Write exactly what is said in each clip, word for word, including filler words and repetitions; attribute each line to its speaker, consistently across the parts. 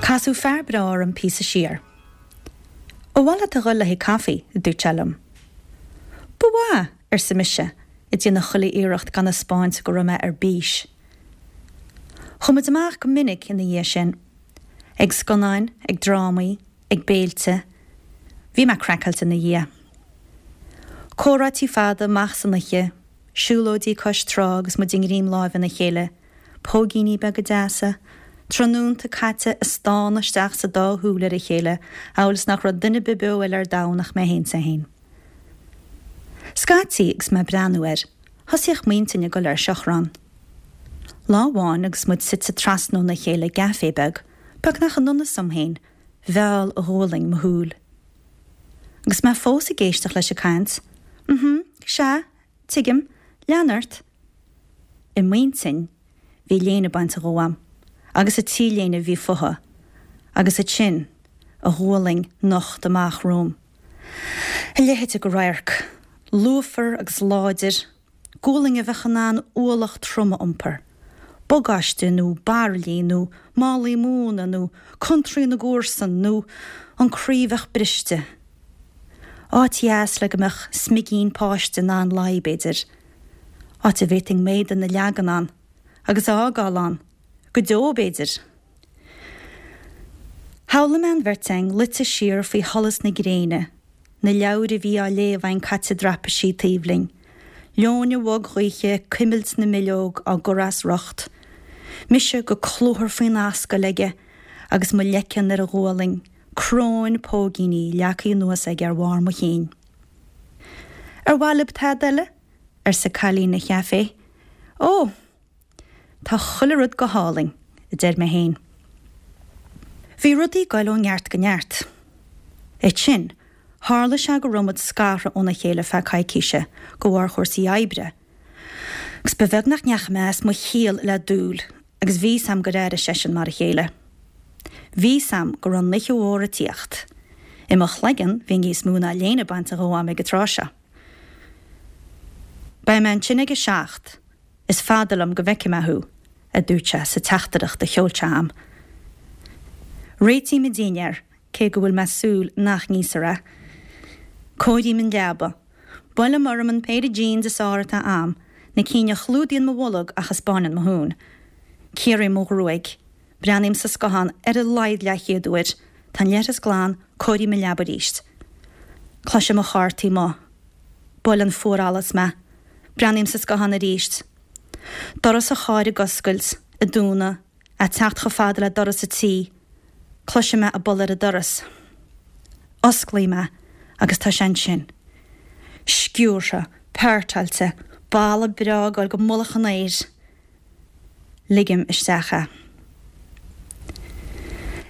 Speaker 1: Casadh fear breá orm píosa siar. Ar mhaith leat a dhul le haghaidh caife, a dúirt sé liom. Ba mhaith, arsa mise, ag déanamh chuile iarracht gan a 'speáint go raibh mé ar bís. Chuaigh muid amach go minic ina dhiaidh sin. Ag scannáin, ag drámaí, ag béilte. Bhí mé craiceáilte ina dhiaidh. Comhráití fada amach san oíche, siúlóidí cois trá agus muid i ngreim láimhe ina chéile, póigíní beaga deasa, tráthnónta caite ag stánadh isteach sa dá shúil ar a chéile, amhail is nach raibh duine ar bith beo eile ar domhan ach mé féin 's é féin. Scaití agus mé ag breathnú air, thosaíodh m'intinn ag dul ar seachrán. Lá amháin agus muid suite trasna óna chéile i gcaifé beag, beagnach in ionnas dom féin, mheall a ghualainn mo shúil. Agus mé fós ag éisteacht leis ag caint, Mhm, sea, tuigim, lean ort. I m'intinn, bhí léine bainte dhó a'm, agus an t-léine a bhí fúithi, agus ansin a ghualainn nochta amach romham. A leithéid de radharc, lúfar agus láidir, gualainn a bheadh in ann ualach trom a iompar, bagáiste nó bairillí nó málaí móna nó contraí na gcomharsan nó an croí a bheadh briste. Áit dheas le go mbeadh smigín páiste in ann luí b'fhéidir. Áit a bhféadfainn m'éadan a leagan ann, agus a fhágáil ann, go deo b'fhéidir. Shamhlaigh mé an bheirt againn luite siar faoi sholas na gréine, na leabhair a bhí á léamh againn caite i dtraipisí taobh linn, leoithne bhog ghaoithe ag cuimilt na mbileog á gcur as riocht, mise go cluthar faoin ascaill aige agus mo leiceann ar a ghualainn, cróin póigíní leagtha anuas aige ar bharr mo chinn. Ar mhaith libh tada eile? arsa cailín an chaifé. Ó! Tá chuile rud go hálainn, a deir mé féin. Bhí rudaí ag goil ó neart go neart. Ansin, tharla sé go raibh muid scartha óna chéile feadh coicíse de bharr chúrsaí oibre. Agus ba bheag nach ndeachaigh mé as mo chiall le dúil, agus bhí 's a'm gur airigh seisean mar a chéile. Bhí 's a'm go raibh an oíche mhór ag tíocht. I mo chloigeann bhí níos mó ná léine bainte dhó a'm ag an tráth seo. Beidh mé ansin ag a seacht, is fada liom go bhfeicfidh mé thú, a dúirt sé sa teachtaireacht a sheol sé a'm. Réitím an dinnéar, cé go bhfuil mé ag súil nach n-íosfar é. Cóirím an leaba. Buailim orm an péire jeans is fearr atá a'm, na cinn a chlúdaíonn mo bholg ach a 'spáineann mo thún. Ciorraím mo ghruaig. Breathnaím sa scáthán ar a laghad leathchéad uair. Tá an leithreas glan, cóirím an leaba arís. Cloisim an carr taobh amuigh. Buaileann fuarallas mé. Breathnaím sa scáthán arís. Doras an chairr ag oscailt, ag dúnadh, ag teacht chomh fada le doras an tí. Cloisim é ag bualadh ar an doras. Osclaím é agus tá sé ansin. Sciúrtha, peairteáilte, boladh breá ag goil go mullach an aeir. Ligim isteach é.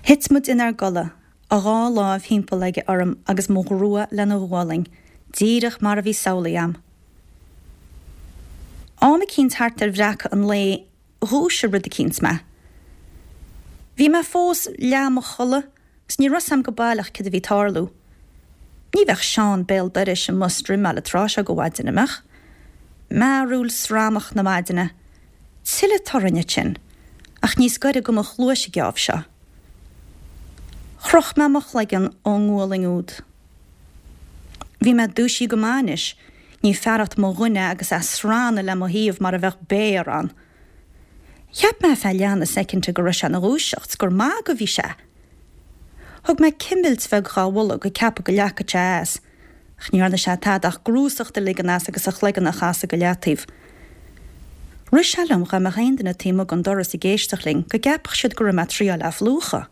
Speaker 1: Thit muid inár gcodladh, a dhá láimh thimpeall aige orm agus mo ghrua lena ghualainn, díreach mar a bhí samhlaithe a'm. Am eicínt thart ar bhreacadh an lae, dhúisigh rud eicínt mé. Bhí mé fós leath i mo chodladh agus ní raibh 's a'm go baileach céard a bhí ag tarlú. Ní bheadh Seán béal dorais amuigh ag struimeáil an tráth seo de mhaidin, an mbeadh? Mearúil sramach na maidine. Tuilleadh torainn ansin, ach níos gaire do mo chluais an geábh seo. Chroch mé mo chloigeann ón ngualainn úd. Bhí mé dúisithe go maith anois, ní fearacht mo dhuine agus é ag srannadh le mo thaobh mar a bheadh béar ann. Cheap mé feadh leath na soicinde go raibh sé ina dhúiseacht, 's gur magadh a bhí sé. Thug mé cimilt bheag dhá bholg ag ceapadh go leagfadh sé as, ach ní dhearna sé tada ach grúsacht a ligean as agus a chloigeann a chasadh go leataobh. Rith sé liom dhá mbeadh aon duine taobh amuigh den doras ag éisteacht linn go gceapfadh siad go raibh mé ag triáil é a phlúchadh.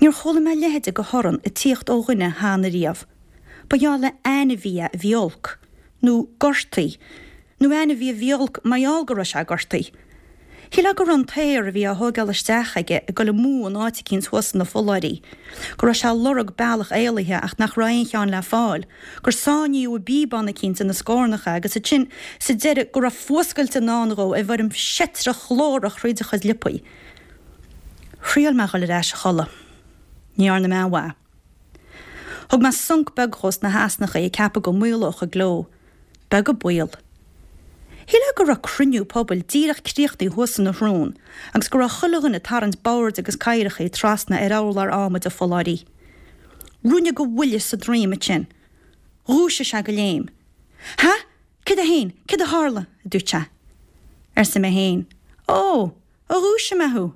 Speaker 1: Níor chuala mé a leithéide de thorann ag tíocht ó dhuine cheana riamh. Ba gheall le ainmhí é a bhí olc, nó gortaithe, nó ainmhí a bhí olc mar gheall go raibh sé gortaithe. Shílfeá go raibh an t-aer a bhí á thógáil isteach aige ag dul amú in áit eicínt thuas sna fulláirí, go raibh sé ag lorg bealach éalaithe ach nach raibh aon cheann le fáil, gur sáinníodh i bpíobán eicínt ina scornach é agus ansin sa deireadh go raibh fuascailt i ndán dhó i bhfoirm seitreach ghlórach thríd a chuid liopaí. Thriail mé a dhul ar ais a chodladh. Ní dhearna mé aon mhaith. Thug mé sonc beag dhó sna heasnacha ag ceapadh go maolódh an gleo. Beag an baol. Shílfeá go raibh cruinniú pobail díreach críochnaithe thuas ina shrón agus go raibh chuile dhuine ag tarraingt boird agus cathaoireacha trasna ar urlár adhmaid a pholláirí. Ruainne de bhuille sa droim ansin. Dhúisigh sé de léim. Ha? Cad é féin? Cad a tharla? a dúirt sé. Arsa mé féin. Ó, a dhúisigh mé thú,